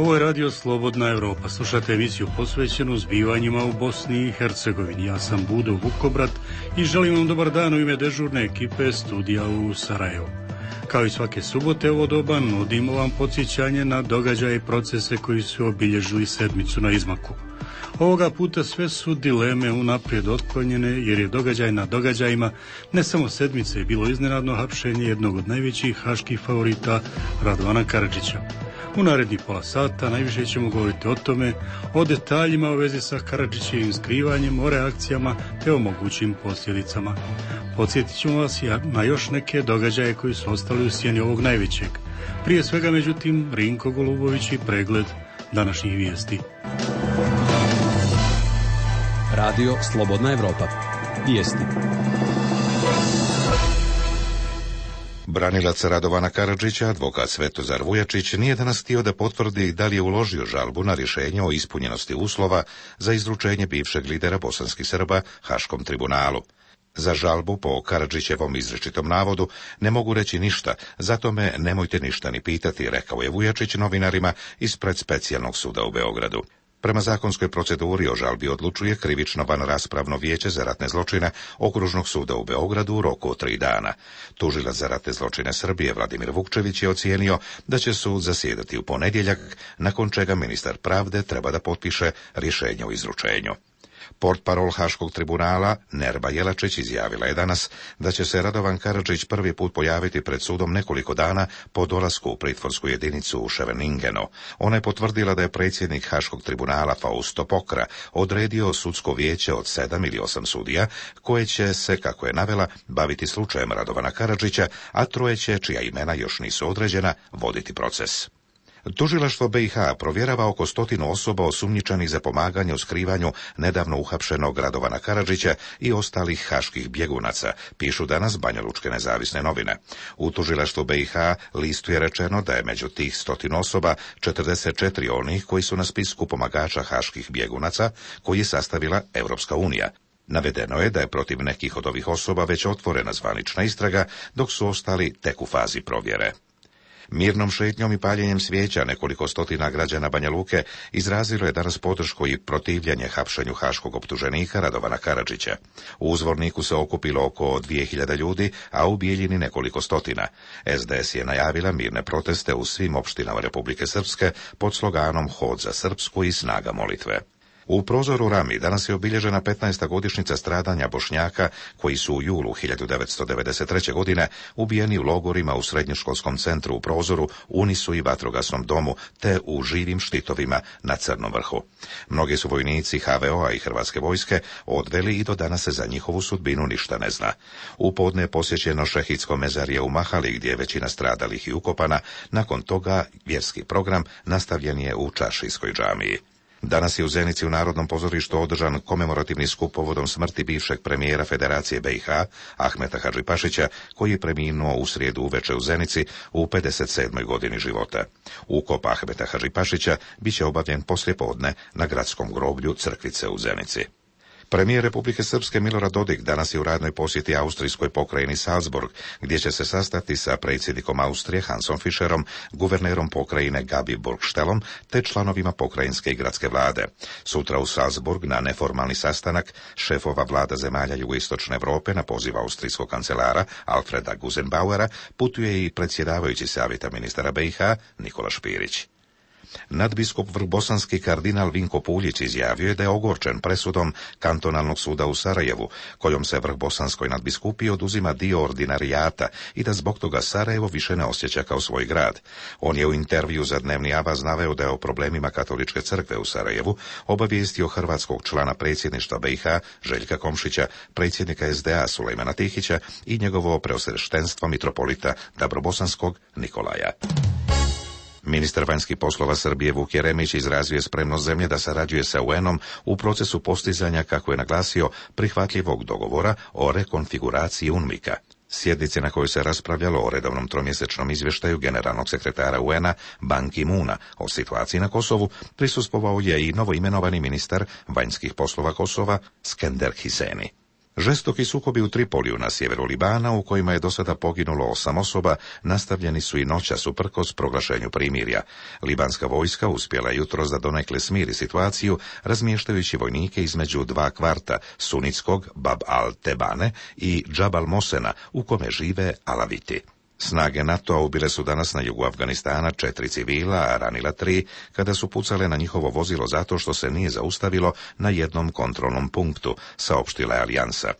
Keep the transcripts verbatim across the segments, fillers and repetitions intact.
Ovo je radio Slobodna Evropa. Slušate emisiju posvećenu zbivanjima u Bosni i Hercegovini. Ja sam Budo Vukobrat i želim vam dobar dan u ime dežurne ekipe studija u Sarajevu. Kao i svake subote ovo doba nudimo vam podsjećanje na događaje i procese koji su obilježili sedmicu na izmaku. Ovoga puta sve su dileme unaprijed otklonjene jer je događaj na događajima ne samo sedmice je bilo iznenadno hapšenje jednog od najvećih haških favorita Radovana Karadžića. U narednih pola sata najviše ćemo govoriti o tome, o detaljima u vezi sa Karadžićevim skrivanjem, o reakcijama te o mogućim posljedicama. Podsjetit ćemo vas na još neke događaje koji su ostali u sjeni ovog najvećeg. Prije svega, međutim, Rinko Golubović i pregled današnjih vijesti. Radio Slobodna Evropa. Vijesti. Branilac Radovana Karadžića, advokat Svetozar Vujačić, nije danas htio da potvrdi da li je uložio žalbu na rješenje o ispunjenosti uslova za izručenje bivšeg lidera bosanskih Srba Haškom tribunalu. Za žalbu po Karadžićevom izričitom navodu ne mogu reći ništa, zato me nemojte ništa ni pitati, rekao je Vujačić novinarima ispred specijalnog suda u Beogradu. Prema zakonskoj proceduri o žalbi odlučuje krivično vanraspravno vijeće za ratne zločine Okružnog suda u Beogradu u roku od tri dana. Tužilac za ratne zločine Srbije Vladimir Vukčević je ocijenio da će sud zasjedati u ponedjeljak, nakon čega ministar pravde treba da potpiše rješenje o izručenju. Portparol Haškog tribunala Nerba Jelačić izjavila je danas da će se Radovan Karadžić prvi put pojaviti pred sudom nekoliko dana po dolasku u pritvorsku jedinicu u Ševeningenu. Ona je potvrdila da je predsjednik Haškog tribunala Fausto Pokra odredio sudsko vijeće od sedam ili osam sudija koje će se, kako je navela, baviti slučajem Radovana Karadžića, a troje će, čija imena još nisu određena, voditi proces. Tužilaštvo B i H provjerava oko stotinu osoba osumnjičenih za pomaganje u skrivanju nedavno uhapšenog Radovana Karadžića i ostalih haških bjegunaca, pišu danas Banjalučke nezavisne novine. U tužilaštvu B i H listu je rečeno da je među tih stotinu osoba četrdeset četiri onih koji su na spisku pomagača haških bjegunaca koji je sastavila Europska unija. Navedeno je da je protiv nekih od ovih osoba već otvorena zvanična istraga, dok su ostali tek u fazi provjere. Mirnom šetnjom i paljenjem svijeća nekoliko stotina građana Banja Luke izrazilo je danas podršku i protivljenje hapšenju haškog optuženika Radovana Karadžića. U Uzvorniku se okupilo oko dvije hiljade ljudi, a u Bijeljini nekoliko stotina. S D S je najavila mirne proteste u svim opštinama Republike Srpske pod sloganom Hod za Srpsku i snaga molitve. U prozoru Rami danas je obilježena petnaesta godišnjica stradanja Bošnjaka koji su u julu hiljadu devetsto devedeset treće. godine ubijeni u logorima u srednjoškolskom centru u Prozoru, Unisu i vatrogasnom domu, te u živim štitovima na Crnom vrhu. Mnogi su vojnici H V O-a i Hrvatske vojske odveli i do danas se za njihovu sudbinu ništa ne zna. U podne je posjećeno šehidsko mezarje u Mahali gdje je većina stradalih i ukopana, nakon toga vjerski program nastavljen je u Čaršijskoj džamiji. Danas je u Zenici u Narodnom pozorištu održan komemorativni skup povodom smrti bivšeg premijera Federacije B i H, Ahmeta Hadžipašića, koji je preminuo u srijedu uveče u Zenici u pedeset sedmoj godini života. Ukop Ahmeta Hadžipašića bit će obavljen poslijepodne na gradskom groblju Crkvice u Zenici. Premijer Republike Srpske Milorad Dodik danas je u radnoj posjeti austrijskoj pokrajini Salzburg, gdje će se sastati sa predsjednikom Austrije Hansom Fischerom, guvernerom pokrajine Gabi Burgstelom te članovima pokrajinske i gradske vlade. Sutra u Salzburg na neformalni sastanak šefova vlada zemalja jugoistočne Europe na poziv austrijskog kancelara Alfreda Gusenbauera putuje i predsjedavajući savjeta ministara B i H Nikola Špirić. Nadbiskup vrhbosanski kardinal Vinko Puljić izjavio je da je ogorčen presudom kantonalnog suda u Sarajevu, kojom se vrhbosanskoj nadbiskupiji oduzima dio ordinarijata i da zbog toga Sarajevo više ne osjeća kao svoj grad. On je u intervju za Dnevni Avaz naveo da je o problemima katoličke crkve u Sarajevu obavijestio hrvatskog člana predsjedništva B i H Željka Komšića, predsjednika S D A Sulejmana Tihića i njegovo preosveštenstvo mitropolita Dabrobosanskog Nikolaja. Ministar vanjskih poslova Srbije Vuk Jeremić izrazio je spremnost zemlje da sarađuje sa U N-om u procesu postizanja, kako je naglasio, prihvatljivog dogovora o rekonfiguraciji UNMIK-a. Sjednice na kojoj se raspravljalo o redovnom tromjesečnom izvještaju generalnog sekretara U N-a Ban Ki-moona o situaciji na Kosovu prisustvovao je i novoimenovani ministar vanjskih poslova Kosova Skender Hiseni. Žestoki sukobi u Tripoliju na sjeveru Libana, u kojima je do sada poginulo osam osoba, nastavljeni su i noćas uprkos proglašenju primirja. Libanska vojska uspjela jutros da donekle smiri situaciju, razmještajući vojnike između dva kvarta, sunitskog Bab al-Tebane i Džabal Mosena, u kome žive Alaviti. Snage NATO-a ubile su danas na jugu Afganistana četiri civila, a ranila tri, kada su pucale na njihovo vozilo zato što se nije zaustavilo na jednom kontrolnom punktu, saopštila je Alijansa.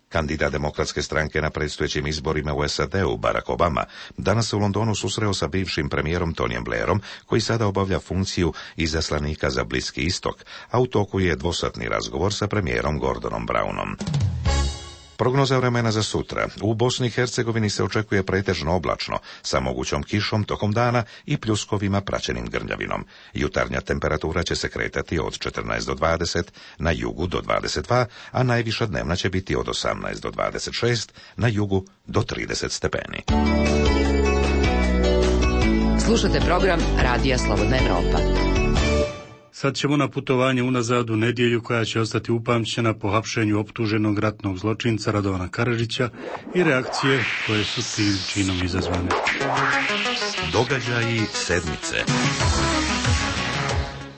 Kandidat demokratske stranke na predstojećim izborima u S A D-u, Barack Obama, danas se u Londonu susreo sa bivšim premijerom Tonyjem Blairom, koji sada obavlja funkciju izaslanika za Bliski istok, a u toku je dvosatni razgovor sa premijerom Gordonom Brownom. Prognoza vremena za sutra. U Bosni i Hercegovini se očekuje pretežno oblačno, sa mogućom kišom tokom dana i pljuskovima praćenim grmljavinom. Jutarnja temperatura će se kretati od četrnaest do dvadeset, na jugu do dvadeset dva, a najviša dnevna će biti od osamnaest do dvadeset šest, na jugu do trideset stepeni. Slušate program Radija Slobodna Evropa. Sad ćemo na putovanje unazad u nedjelju koja će ostati upamćena po hapšenju optuženog ratnog zločinca Radovana Karadžića i reakcije koje su tim činom izazvane. Događaji sedmice.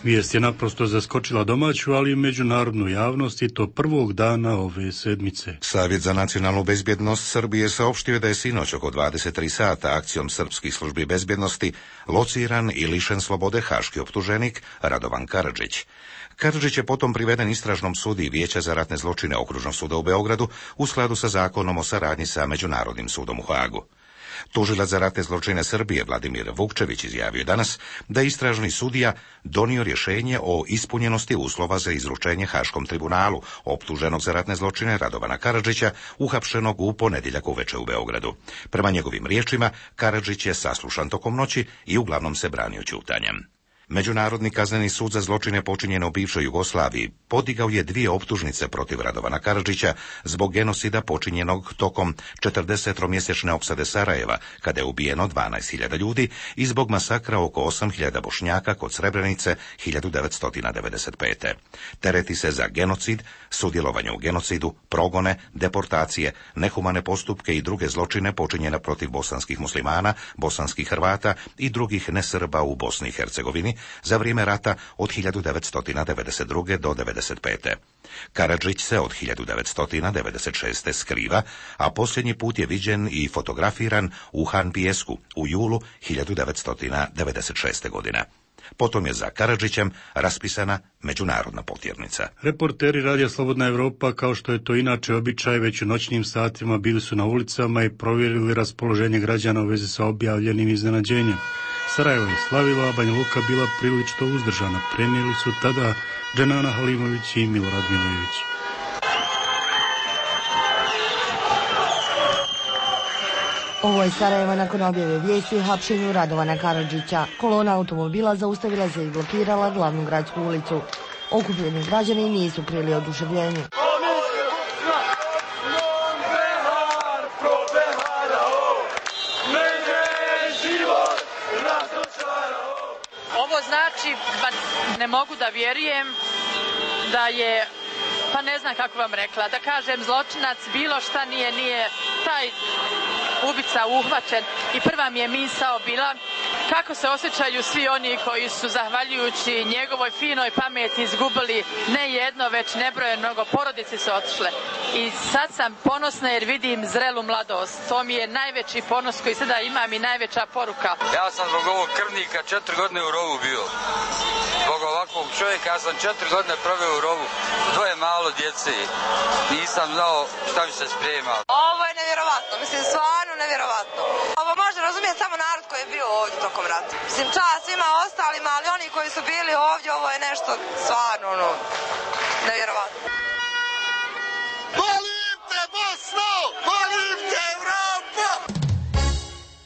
Vijest je naprosto zaskočila domaću, ali i međunarodnu javnost, i to prvog dana ove sedmice. Savjet za nacionalnu bezbjednost Srbije saopštio da je sinoć oko dvadeset tri sata akcijom srpskih službi bezbjednosti lociran i lišen slobode haški optuženik Radovan Karadžić. Karadžić je potom priveden istražnom sudiji Vijeća za ratne zločine Okružnog suda u Beogradu u skladu sa zakonom o saradnji sa Međunarodnim sudom u Hagu. Tužilac za ratne zločine Srbije Vladimir Vukčević izjavio danas da je istražni sudija donio rješenje o ispunjenosti uslova za izručenje Haškom tribunalu optuženog za ratne zločine Radovana Karadžića, uhapšenog u ponedjeljak uveče u Beogradu. Prema njegovim riječima, Karadžić je saslušan tokom noći i uglavnom se branio ćutanjem. Međunarodni kazneni sud za zločine počinjene u bivšoj Jugoslaviji podigao je dvije optužnice protiv Radovana Karadžića zbog genocida počinjenog tokom četrdesetromjesečne opsade Sarajeva, kada je ubijeno dvanaest hiljada ljudi, i zbog masakra oko osam hiljada Bošnjaka kod Srebrenice hiljadu devetsto devedeset pete. Tereti se za genocid, sudjelovanje u genocidu, progone, deportacije, nehumane postupke i druge zločine počinjene protiv bosanskih muslimana, bosanskih Hrvata i drugih nesrba u Bosni i Hercegovini za vrijeme rata od hiljadu devetsto devedeset druge do devedeset pete. Karadžić se od hiljadu devetsto devedeset šeste skriva, a posljednji put je viđen i fotografiran u Han Pijesku u julu hiljadu devetsto devedeset šeste. godine. Potom je za Karadžićem raspisana međunarodna potjernica. Reporteri Radija Slobodna Evropa, kao što je to inače običaj, već u noćnim satima bili su na ulicama i provjerili raspoloženje građana u vezi sa objavljenim iznenađenjem. Sarajevo je slavilo, a Banja Luka bila prilično uzdržana. Prenijeli su tada Dženana Halimović i Milorad Milojević. Ovo je Sarajevo nakon objave vijesti o hapšenju Radovana Karadžića. Kolona automobila zaustavila se i blokirala glavnu gradsku ulicu. Okupljeni građani nisu krili oduševljenje. Ovo znači, ne mogu da vjerujem da je, pa ne znam kako vam rekla, da kažem zločinac, bilo šta nije, nije taj ubica uhvaćen. I prva mi je misao bila kako se osjećaju svi oni koji su zahvaljujući njegovoj finoj pameti izgubili ne jedno, već nebroje mnogo, porodice su otišle. I sad sam ponosna jer vidim zrelu mladost. To mi je najveći ponos koji sada imam i najveća poruka. Ja sam zbog ovog krvnika četiri godine u rovu bio. Zbog ovakvog čovjeka ja sam četiri godine proveo u rovu. Dvoje malo djece. Nisam znao šta mi se sprema. Ovo je nevjerovatno, mislim stvarno nevjerovatno. Ovo može razumjeti samo narod koji je bio ovdje tokom rata. Mislim čast svima ostalima, ali oni koji su bili ovdje, ovo je nešto stvarno ono, nevjerovatno. Volim te Bosno! Volim te Evropa!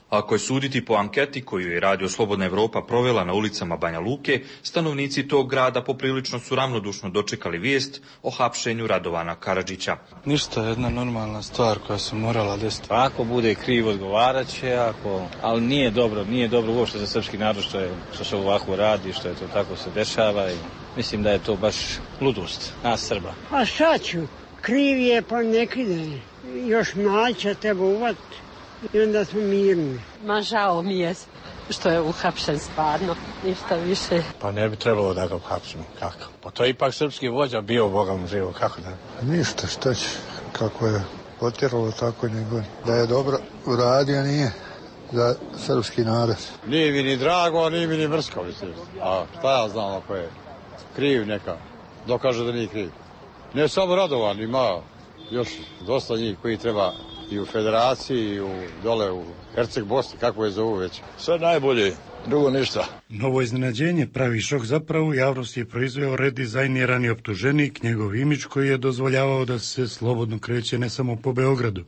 Ako je suditi po anketi koju je Radio Slobodna Evropa provela na ulicama Banja Luke, stanovnici tog grada poprilično su ravnodušno dočekali vijest o hapšenju Radovana Karadžića. Ništa, jedna normalna stvar koja se morala desiti. Ako bude kriv, odgovarat će, ako... ali nije dobro, nije dobro uopšte za srpski narod što, je, što se ovako radi, što je to tako se dešava i mislim da je to baš ludost nas Srba. A šta ću? kriv je pa nek ide. Još mlađa treba uvatiti i onda smo mirni. Ma žao mi je što je uhapšen stvarno, ništa više. Pa ne bi trebalo da ga uhapsimo, kako? Pa to je ipak srpski vođa bio, Boga mu živo, kako da? Ništa, šta će, kako je potjeralo, tako nego. Da je dobro uradio, nije za srpski narod. Nije mi ni drago, nije mi ni mrsko, mislim. A šta ja znam ako je kriv neka, dokaže da nije kriv. Ne samo Radovan, ima još dosta njih koji treba i u federaciji, i u, dole u Herceg Bosni, kako je zovu već. Sve najbolje, drugo ništa. Novo iznenađenje pravi šok zapravo u javnosti je proizveo redizajnirani optuženik, njegov imidž koji je dozvoljavao da se slobodno kreće ne samo po Beogradu.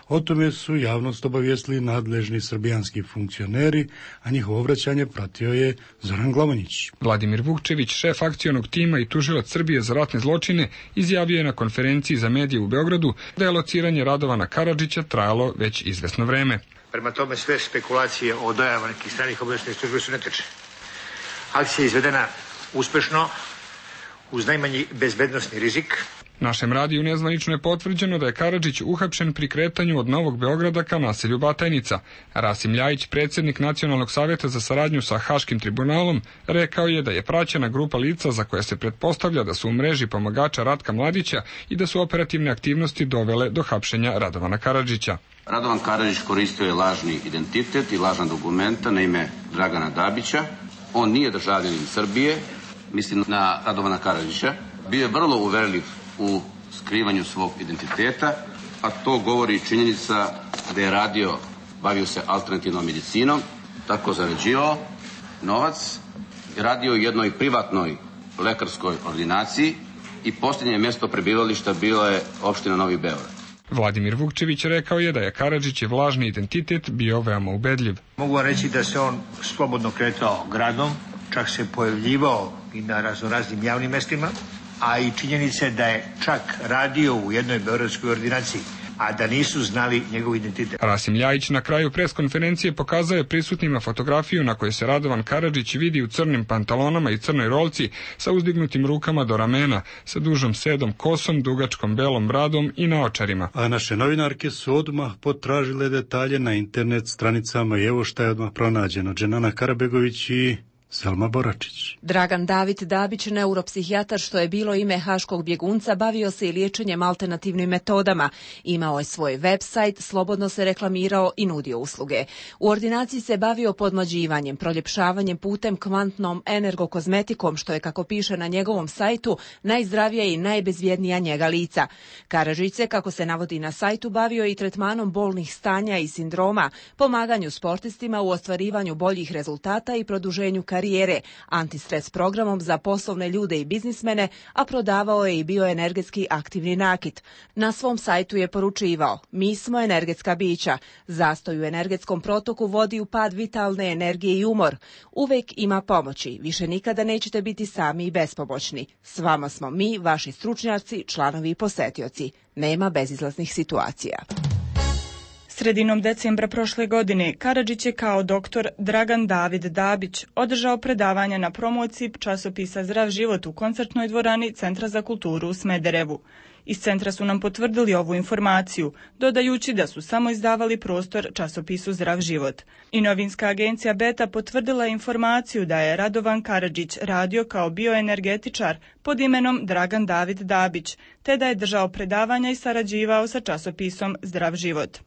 O tome su javnost obavijestili nadležni srbijanski funkcioneri, a njihovo obraćanje pratio je Zoran Glamonjić. Vladimir Vukčević, šef akcionog tima i tužilac Srbije za ratne zločine, izjavio je na konferenciji za medije u Beogradu da je lociranje Radovana Karadžića trajalo već izvesno vreme. Prema tome sve spekulacije o dojavama nekih stranih obaveštajnih službi su netačne. Akcija je izvedena uspešno, uz najmanji bezbednosni rizik. Našem radiju nezvanično je potvrđeno da je Karadžić uhapšen pri kretanju od Novog Beograda ka naselju Batajnica. Rasim Ljajić, predsjednik Nacionalnog savjeta za saradnju sa Haškim tribunalom, rekao je da je praćena grupa lica za koje se pretpostavlja da su u mreži pomagača Ratka Mladića i da su operativne aktivnosti dovele do hapšenja Radovana Karadžića. Radovan Karadžić koristio je lažni identitet i lažna dokumenta na ime Dragana Dabića. On nije državljanin Srbije, mislim na Radovana Karadžića. Bio je vrlo uverljiv u skrivanju svog identiteta, a to govori činjenica da je radio, bavio se alternativnom medicinom, tako zarađivao novac, radio u jednoj privatnoj lekarskoj ordinaciji i posljednje mjesto prebivališta bilo je opština Novi Beograd. Vladimir Vukčević rekao je da je Karadžićev lažni identitet bio veoma ubedljiv. Mogu vam reći da se on slobodno kretao gradom, čak se pojavljivao i na raznoraznim javnim mestima, a i činjenice da je čak radio u jednoj beogradskoj ordinaciji, a da nisu znali njegov identitet. Rasim Ljajić na kraju preskonferencije pokazao je prisutnima fotografiju na kojoj se Radovan Karadžić vidi u crnim pantalonama i crnoj rolci sa uzdignutim rukama do ramena, sa dužom sedom kosom, dugačkom belom bradom i naočarima. A naše novinarke su odmah potražile detalje na internet stranicama i evo šta je odmah pronađeno. Dženana Karabegović i Selma Boračić. Dragan David Dabić, neuropsihijatar što je bilo ime haškog bjegunca, bavio se i liječenjem alternativnim metodama. Imao je svoj website, slobodno se reklamirao i nudio usluge. U ordinaciji se bavio podmlađivanjem, proljepšavanjem putem kvantnom energokozmetikom, što je, kako piše na njegovom sajtu, najzdravija i najbezvjednija njega lica. Karadžić se, kako se navodi na sajtu, bavio i tretmanom bolnih stanja i sindroma, pomaganju sportistima u ostvarivanju boljih rezultata i produženju karijere, antistres programom za poslovne ljude i biznismene, a prodavao je i bioenergetski aktivni nakit. Na svom sajtu je poručivao: mi smo energetska bića. Zastoj u energetskom protoku vodi u pad vitalne energije i umor. Uvek ima pomoći. Više nikada nećete biti sami i bespomoćni. S vama smo mi, vaši stručnjaci, članovi i posetioci. Nema bezizlaznih situacija. Sredinom decembra prošle godine Karadžić je kao doktor Dragan David Dabić održao predavanja na promociji časopisa Zdrav život u koncertnoj dvorani Centra za kulturu u Smederevu. Iz centra su nam potvrdili ovu informaciju, dodajući da su samo izdavali prostor časopisu Zdrav život. I novinska agencija Beta potvrdila informaciju da je Radovan Karadžić radio kao bioenergetičar pod imenom Dragan David Dabić, te da je držao predavanja i sarađivao sa časopisom Zdrav život.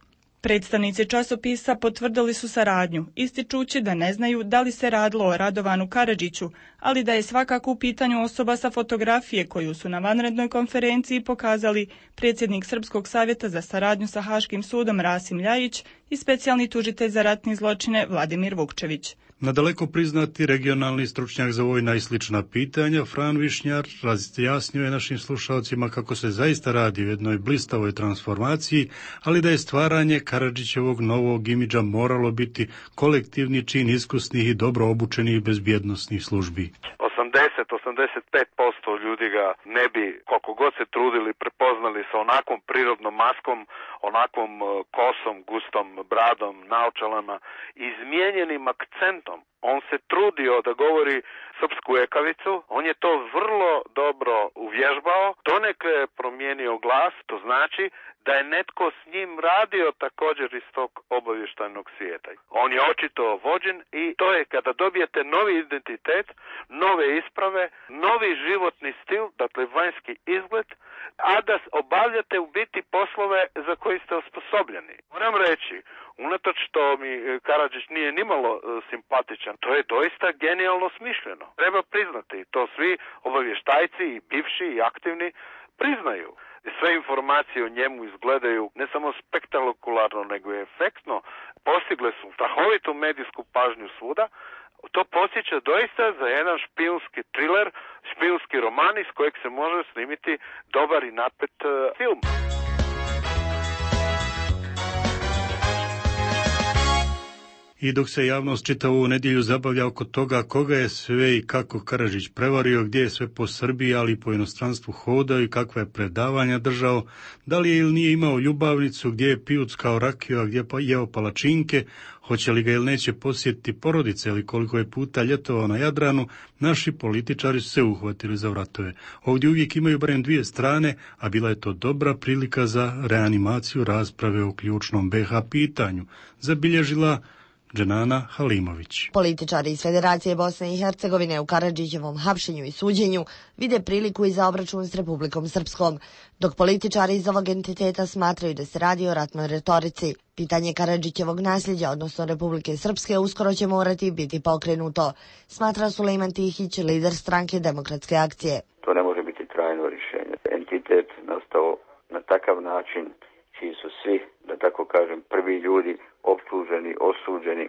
Predstavnici časopisa potvrdili su saradnju, ističući da ne znaju da li se radilo o Radovanu Karadžiću, ali da je svakako u pitanju osoba sa fotografije koju su na vanrednoj konferenciji pokazali predsjednik Srpskog savjeta za saradnju sa Haškim sudom Rasim Ljajić i specijalni tužitelj za ratne zločine Vladimir Vukčević. Nadaleko priznati regionalni stručnjak za vojna i slična pitanja, Fran Višnjar, razjasnio je našim slušalcima kako se zaista radi o jednoj blistavoj transformaciji, ali da je stvaranje Karadžićevog novog imidža moralo biti kolektivni čin iskusnih i dobro obučenih bezbjednosnih službi. osamdeset do osamdeset pet posto ljudi ga ne bi, koliko god se trudili, prepoznali sa onakvom prirodnom maskom, onakvom kosom, gustom bradom, naočalama, izmijenjenim akcentom. On se trudio da govori srpsku ekavicu, on je to vrlo dobro uvježbao, donekle je promijenio glas, to znači da je netko s njim radio također iz tog obavještajnog svijeta. On je očito vođen i to je kada dobijete novi identitet, nove isprave, novi životni stil, dakle vanjski izgled, a da obavljate u biti poslove za koji ste osposobljeni. Moram reći, unatoč što mi Karadžić nije nimalo simpatičan, to je doista genijalno smišljeno. Treba priznati, to svi obavještajci i bivši i aktivni priznaju. Sve informacije o njemu izgledaju ne samo spektakularno, nego i efektno. Postigle su strahovitu medijsku pažnju svuda. To podsjeća doista za jedan špijunski thriller, špijunski roman iz kojeg se može snimiti dobar i napet uh, film. I dok se javnost čita ovu nedjelju zabavlja oko toga koga je sve i kako Karadžić prevario, gdje je sve po Srbiji, ali i po inostranstvu hodao i kakva je predavanja držao, da li je ili nije imao ljubavnicu, gdje je pijuckao rakiju, a gdje pa jeo palačinke, hoće li ga ili neće posjetiti porodice ili koliko je puta ljetovao na Jadranu, naši političari su se uhvatili za vratove. Ovdje uvijek imaju barem dvije strane, a bila je to dobra prilika za reanimaciju rasprave o ključnom be ha pitanju, zabilježila Dženana Halimović. Političari iz Federacije Bosne i Hercegovine u Karadžićevom hapšenju i suđenju vide priliku i za obračun s Republikom Srpskom, dok političari iz ovog entiteta smatraju da se radi o ratnoj retorici. Pitanje Karadžićevog nasljeđa, odnosno Republike Srpske, uskoro će morati biti pokrenuto, smatra Sulejman Tihić, lider stranke Demokratske akcije. To ne može biti trajno rješenje. Entitet nastao na takav način čiji su svi, da tako kažem, prvi ljudi optuženi, osuđeni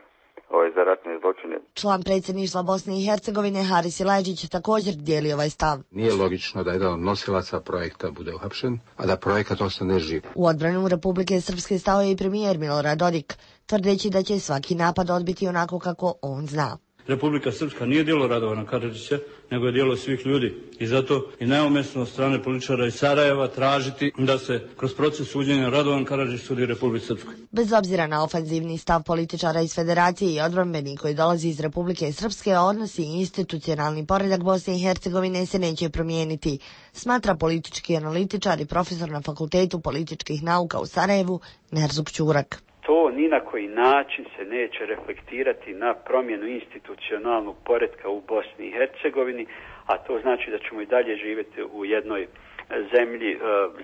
ovaj, za ratne zločine. Član predsjedništva Bosne i Hercegovine Haris Silajdžić također dijeli ovaj stav. Nije logično da jedan od nosilaca projekta bude uhapšen, a da projekat ostane živ. U odbranu Republike Srpske stao je i premijer Milorad Dodik, tvrdeći da će svaki napad odbiti onako kako on zna. Republika Srpska nije djelo Radovana Karadžića, nego je djelo svih ljudi. I zato je neumjesno od strane političara iz Sarajeva tražiti da se kroz proces suđenja Radovan Karadžić sudi Republici Srpskoj. Bez obzira na ofanzivni stav političara iz Federacije i odbrambeni koji dolazi iz Republike Srpske, odnosi i institucionalni poredak Bosne i Hercegovine se neće promijeniti, smatra politički analitičar i profesor na Fakultetu političkih nauka u Sarajevu Nerzuk Ćurak. To ni na koji način se neće reflektirati na promjenu institucionalnog poretka u Bosni i Hercegovini, a to znači da ćemo i dalje živjeti u jednoj zemlji e,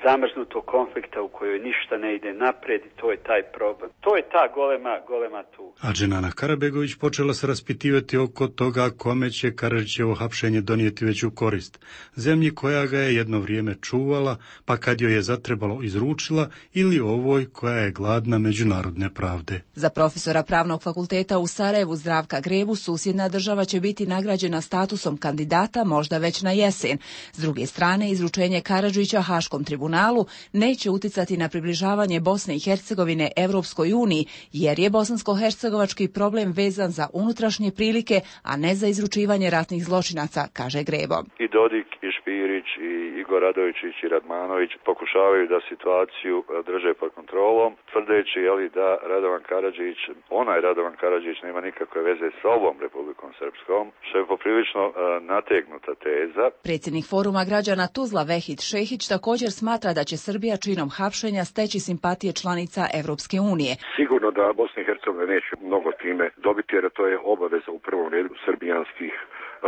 zamrznutog konflikta u kojoj ništa ne ide naprijed i to je taj problem. To je ta golema, golema tu. A Dženana Karabegović počela se raspitivati oko toga kome će Karadžićevo hapšenje donijeti veću korist. Zemlji koja ga je jedno vrijeme čuvala, pa kad joj je zatrebalo izručila, ili ovoj koja je gladna međunarodne pravde. Za profesora Pravnog fakulteta u Sarajevu Zdravka Grebu susjedna država će biti nagrađena statusom kandidata možda već na jesen. S druge strane, izručenje Karadžića Haškom tribunalu neće uticati na približavanje Bosne i Hercegovine Evropskoj uniji, jer je bosansko-hercegovački problem vezan za unutrašnje prilike, a ne za izručivanje ratnih zločinaca, kaže Grebo. I Dodik, i Špirić, i Igor Radovičić, i Radmanović pokušavaju da situaciju drže pod kontrolom, tvrdeći jeli, da Radovan Karadžić, onaj Radovan Karadžić nema nikakve veze s ovom Republikom Srpskom, što je poprilično uh, nategnuta teza. Predsjednik Foruma građana Tuzla Vehid Šehić također smatra da će Srbija činom hapšenja steći simpatije članica Evropske unije. Sigurno da Bosna i Hercegovina neće mnogo time dobiti, jer to je obaveza u prvom redu srbijanskih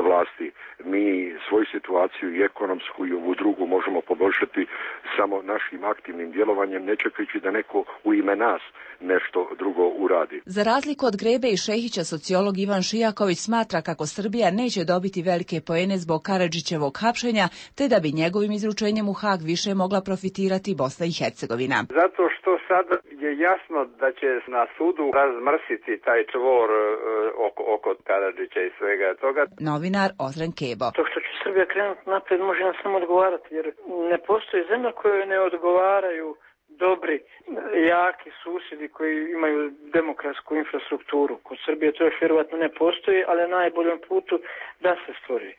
vlasti. Mi svoju situaciju i ekonomsku i ovu drugu možemo poboljšati samo našim aktivnim djelovanjem, ne čekajući da neko u ime nas nešto drugo uradi. Za razliku od Grebe i Šehića, sociolog Ivan Šijaković smatra kako Srbija neće dobiti velike poene zbog Karadžićevog hapšenja, te da bi njegovim izručenjem u Hag više mogla profitirati Bosna i Hercegovina. Zato što sada je jasno da će na sudu razmrsiti taj čvor uh, oko, oko Karadžića i svega toga. Novinar Ozren Kebo. To što će Srbija krenuti napred može nam samo odgovarati, jer ne postoji zemlja kojoj ne odgovaraju dobri, jaki susjedi koji imaju demokratsku infrastrukturu. Kod Srbije to još vjerovatno ne postoji, ali na najboljem putu da se stvori.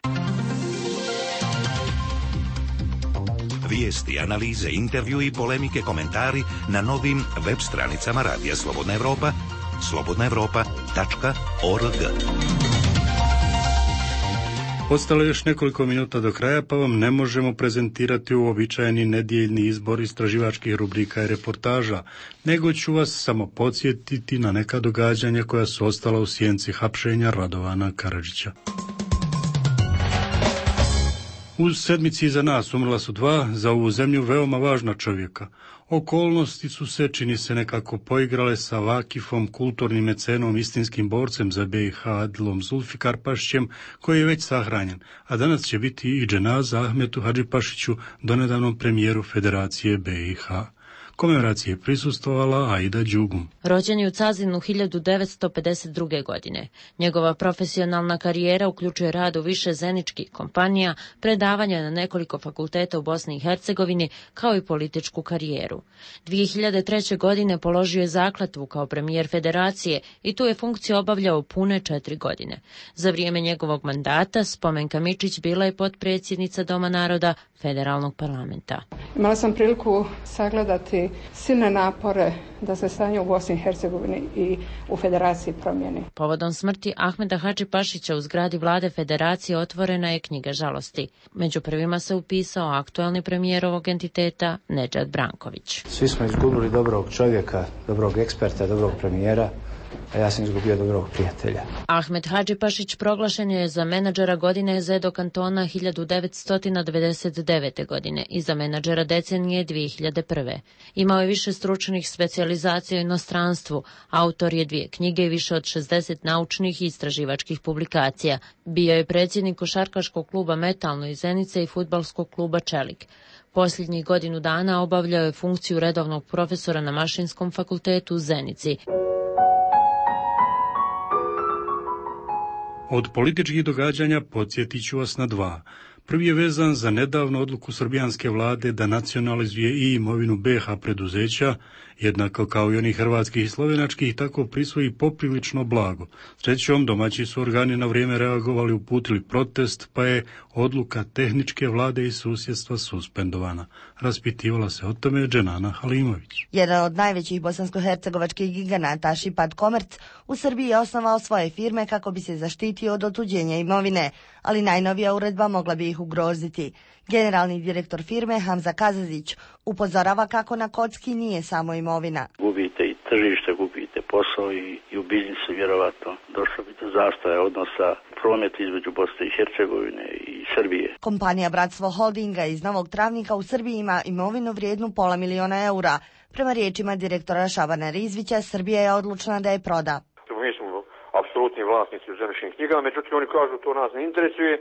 Vijesti, analize, intervju i polemike, komentari na novim web stranicama Radija Slobodna Evropa, slobodna evropa tačka org. Ostalo je još nekoliko minuta do kraja, pa vam ne možemo prezentirati uobičajeni nedjeljni izbor istraživačkih rubrika i reportaža, nego ću vas samo podsjetiti na neka događanja koja su ostala u sjenci hapšenja Radovana Karadžića. U sedmici iza nas umrla su dva za ovu zemlju veoma važna čovjeka. Okolnosti su se, čini se, nekako poigrale sa Vakifom, kulturnim mecenom, istinskim borcem za B i H Adilom Zulfikarpašićem, koji je već sahranjen, a danas će biti i dženaza Ahmetu Hadžipašiću, donedavnom premijeru Federacije B i H. Komemoracije je prisustvovala Aida Đugum. Rođen je u Cazinu hiljadu devetsto pedeset druge. godine. Njegova profesionalna karijera uključuje rad u više zeničkih kompanija, predavanja na nekoliko fakulteta u Bosni i Hercegovini, kao i političku karijeru. dvije hiljade treće. godine položio je zakletvu kao premijer Federacije i tu je funkciju obavljao pune četiri godine. Za vrijeme njegovog mandata Spomenka Mičić bila je potpredsjednica Doma naroda Federalnog parlamenta. Imala sam priliku sagledati silne napore da se stanje u Bosni i Hercegovini i u Federaciji promijeni. Povodom smrti Ahmeta Hadžipašića u zgradi vlade Federacije otvorena je knjiga žalosti. Među prvima se upisao aktuelni premijer ovog entiteta Nedžad Branković. Svi smo izgubili dobrog čovjeka, dobrog eksperta, dobrog premijera, a ja sam izgubio dobrog prijatelja. Ahmet Hadžipašić proglašen je za menadžera godine Zedo kantona hiljadu devetsto devedeset devete. godine i za menadžera decenije dvije hiljade prve. Imao je više stručnih specijalizacija u inostranstvu, autor je dvije knjige i više od šezdeset naučnih i istraživačkih publikacija. Bio je predsjednik košarkaškog kluba Metalno iz Zenice i fudbalskog kluba Čelik. Posljednjih godinu dana obavljao je funkciju redovnog profesora na Mašinskom fakultetu u Zenici. Od političkih događanja podsjetit ću vas na dva. Prvi je vezan za nedavnu odluku srbijanske vlade da nacionalizuje i imovinu B H preduzeća, jednako kao i onih hrvatskih i slovenačkih, tako prisvoji poprilično blago. Srećom, domaći su organi na vrijeme reagovali, uputili protest, pa je odluka tehničke vlade i susjedstva suspendovana. Raspitivala se o tome Dženana Halimović. Jedan od najvećih bosansko-hercegovačkih giganata Šipat Komerc u Srbiji je osnovao svoje firme kako bi se zaštitio od otuđenja imovine, ali najnovija uredba mogla bi ih ugroziti. Generalni direktor firme Hamza Kazazić upozorava kako na kocki nije samo imovina. Gubite i tržište, gubite posao i, i u biznisu vjerovatno došlo bi do zastoja odnosa prometa između Bosne i Hercegovine i Srbije. Kompanija Bratstvo Holdinga iz Novog Travnika u Srbiji ima imovinu vrijednu pola miliona eura. Prema riječima direktora Šabana Rizvića, Srbija je odlučna da je proda. Mi smo apsolutni vlasnici u zemljišnim knjigama, međutim oni kažu to nas ne interesuje.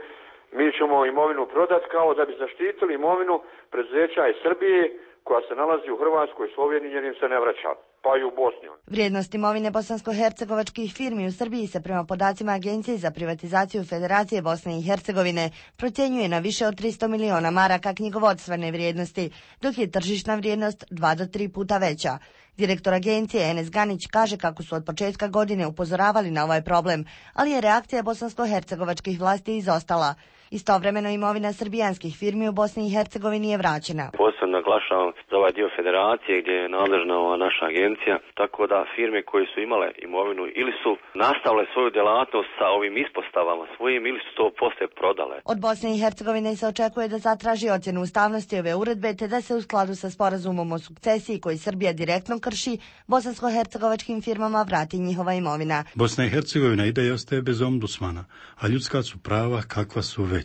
Mi ćemo imovinu prodati kao da bi zaštitili imovinu preduzeća iz Srbije koja se nalazi u Hrvatskoj, Sloveniji jer im se ne vraća, pa i u Bosni. Vrijednost imovine bosansko-hercegovačkih firmi u Srbiji se prema podacima Agencije za privatizaciju Federacije Bosne i Hercegovine procjenjuje na više od tristo miliona maraka knjigovodstvene vrijednosti, dok je tržišna vrijednost dva do tri puta veća. Direktor agencije Enes Ganić kaže kako su od početka godine upozoravali na ovaj problem, ali je reakcija bosansko-hercegovačkih vlasti izostala. Istovremeno imovina srbijanskih firmi u Bosni i Hercegovini je vraćena. Posebno naglašavam za ovaj dio federacije gdje je nadležna ova naša agencija, tako da firme koje su imale imovinu ili su nastavile svoju djelatnost sa ovim ispostavama svojim ili su to poslije prodale. Od Bosne i Hercegovine se očekuje da zatraži ocjenu ustavnosti ove uredbe te da se u skladu sa sporazumom o sukcesiji koji Srbija direktno krši, bosansko-hercegovačkim firmama vrati njihova imovina. Bosna i Hercegovina ide i ostaje bez ombudsmana, a ljudska su prava kakva su već.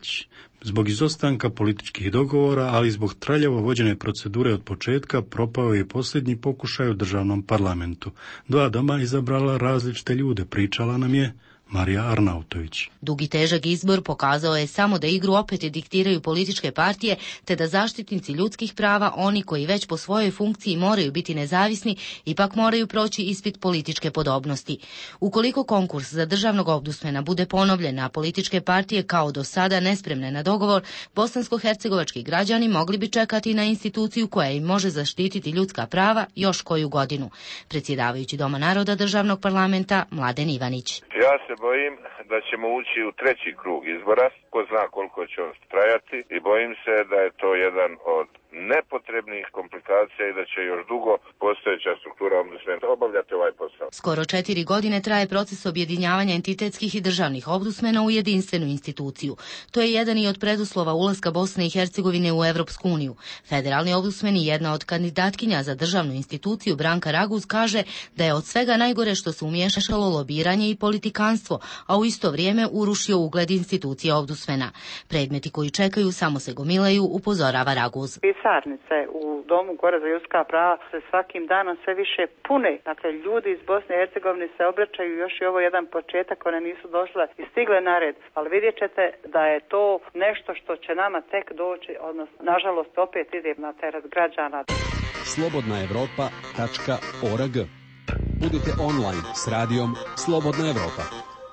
Zbog izostanka političkih dogovora, ali i zbog traljavo vođene procedure od početka, propao je posljednji pokušaj u državnom parlamentu. Dva doma izabrala različite ljude, pričala nam je Marija Arnautović. Dugi težak izbor pokazao je samo da igru opet diktiraju političke partije, te da zaštitnici ljudskih prava, oni koji već po svojoj funkciji moraju biti nezavisni, ipak moraju proći ispit političke podobnosti. Ukoliko konkurs za državnog ombudsmana bude ponovljen, a političke partije kao do sada nespremne na dogovor, bosansko-hercegovački građani mogli bi čekati na instituciju koja im može zaštititi ljudska prava još koju godinu. Predsjedavajući Doma naroda državnog parlamenta Mladen Ivanić. Ja se bojim da ćemo ući u treći krug izbora, ko zna koliko će on trajati, i bojim se da je to jedan od nepotrebnih komplikacija i da će još dugo postojeća struktura ombudsmena obavljati ovaj posao. Skoro četiri godine traje proces objedinjavanja entitetskih i državnih ombudsmena u jedinstvenu instituciju. To je jedan i od preduslova ulaska Bosne i Hercegovine u Evropsku uniju. Federalni ombudsman i jedna od kandidatkinja za državnu instituciju, Branka Raguz, kaže da je od svega najgore što se umiješalo lobiranje i politikanstvo, a u isto vrijeme urušio ugled institucije ombudsmena. Predmeti koji čekaju samo se gomilaju, upozorava Raguz. Pisarnice u Domu gore za ljudska prava se svakim danom sve više pune. Dakle, ljudi iz Bosne i Hercegovine se obraćaju, još i ovo jedan početak, one nisu došle i stigle na red. Ali vidjet ćete da je to nešto što će nama tek doći, odnosno, nažalost, opet ide na teret građana. slobodna evropa tačka org. Budite online s radijom Slobodna Evropa.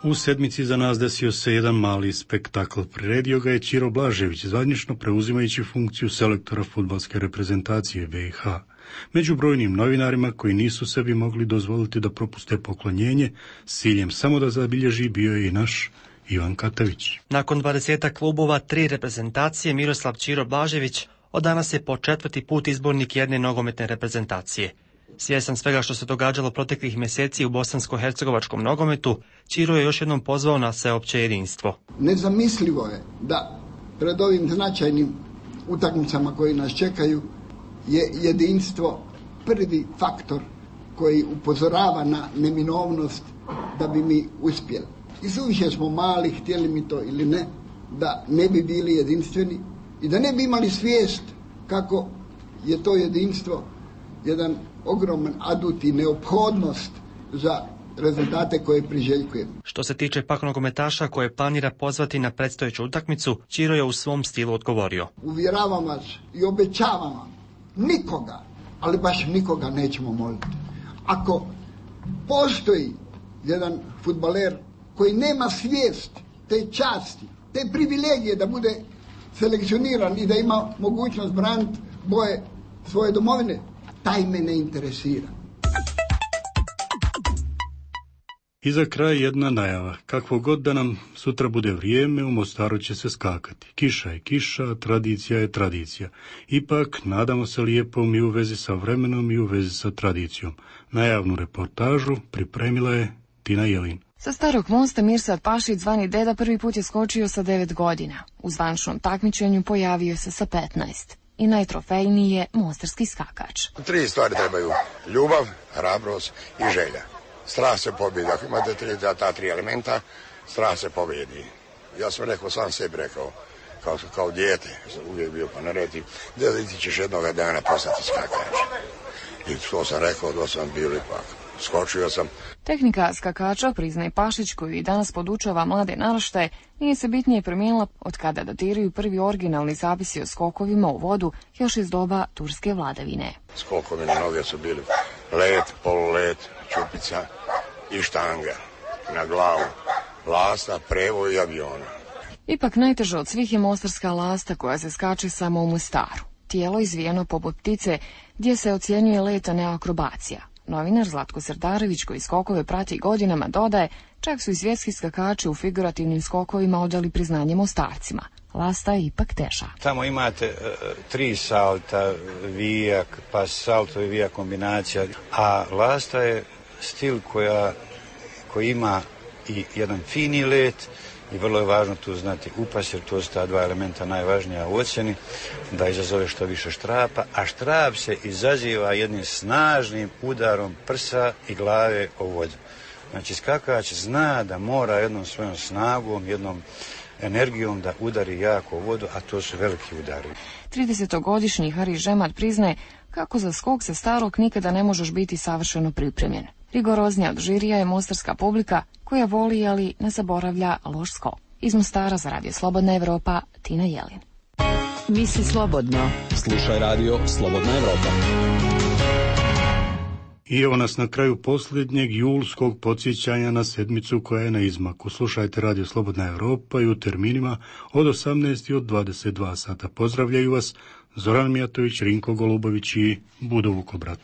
U sedmici za nas desio se jedan mali spektakl. Priredio ga je Ćiro Blažević, zvanično preuzimajući funkciju selektora fudbalske reprezentacije B i H. Među brojnim novinarima koji nisu sebi mogli dozvoliti da propuste poklonjenje, s ciljem samo da zabilježi, bio je i naš Ivan Katavić. Nakon dvadesetak klubova, tri reprezentacije, Miroslav Ćiro Blažević od danas je po četvrti put izbornik jedne nogometne reprezentacije. Svjestan svega što se događalo proteklih mjeseci u bosansko-hercegovačkom nogometu, Ćiro je još jednom pozvao na sveopće jedinstvo. Nezamislivo je da pred ovim značajnim utakmicama koji nas čekaju je jedinstvo prvi faktor koji upozorava na neminovnost da bi mi uspjeli. I suviše smo mali, htjeli mi to ili ne, da ne bi bili jedinstveni i da ne bi imali svijest kako je to jedinstvo jedan ogroman adut i neophodnost za rezultate koje priželjkujemo. Što se tiče pak nogometaša koje planira pozvati na predstojeću utakmicu, Ćiro je u svom stilu odgovorio. Uvjeravam vas i obećavam vam, nikoga, ali baš nikoga nećemo moliti. Ako postoji jedan fudbaler koji nema svijest te časti, te privilegije da bude selekcioniran i da ima mogućnost braniti boje svoje domovine, taj me ne interesira. I za kraj jedna najava. Kakvo god da nam sutra bude vrijeme, u Mostaru će se skakati. Kiša je kiša, tradicija je tradicija. Ipak, nadamo se lijepom i u vezi sa vremenom i u vezi sa tradicijom. Najavnu reportažu pripremila je Tina Jelin. Sa Starog mosta Mirsad Pašić, zvani Deda, prvi put je skočio sa devet godina. U zvančnom takmičenju pojavio se sa petnaest. I najtrofejniji je mostarski skakač. Tri stvari trebaju. Ljubav, hrabrost i želja. Strah se pobjedi. Ako imate tri, ta tri elementa, strah se pobjedi. Ja sam rekao, sam sebi rekao, kao, kao dijete, sam uvijek bio pa naredi, da ti ćeš jednoga dana postati skakač. I to sam rekao, da sam bio ipak. Skočio sam. Tehnika skakača, priznaje Pašić, koju i danas podučava mlade naraštaje, nije se bitnije promijenila od kada datiraju prvi originalni zapisi o skokovima u vodu još iz doba turske vladavine. Skokovi na noge su bili let, polulet, čupica i štanga na glavu, lasta, prevo i aviona. Ipak najteža od svih je mostarska lasta koja se skače samo u Mostaru. Tijelo izvijeno poput ptice gdje se ocjenjuje let, a ne akrobacija. Novinar Zlatko Srdarević, koji skokove prati godinama, dodaje, čak su i svjetski skakači u figurativnim skokovima odali priznanje Mostarcima. Lasta je ipak teža. Tamo imate uh, tri salta, vijak, pa salto i vijak kombinacija, a lasta je stil koja, koji ima i jedan fini let i vrlo je važno tu znati upas, jer to su ta dva elementa najvažnija u ocjeni, da izazove što više štrapa, a štrap se izaziva jednim snažnim udarom prsa i glave o vodu. Znači skakač zna da mora jednom svojom snagom, jednom energijom da udari jako u vodu, a to su veliki udari. tridesetogodišnji Hari Žemat priznaje kako za skok sa Starog nikada ne možeš biti savršeno pripremljen. Rigoroznija od žirija je mostarska publika koja voli, ali ne zaboravlja loš skok. Iz Mostara za Radio Slobodna Evropa, Tina Jelin. Misli slobodno. Slušaj Radio Slobodna Evropa. I evo nas na kraju posljednjeg julskog podsjećanja na sedmicu koja je na izmaku. Slušajte Radio Slobodna Evropa i u terminima od osamnaest i od dvadeset dva sata. Pozdravljaju vas Zoran Mijatović, Rinko Golubović i Budo Vukobrat.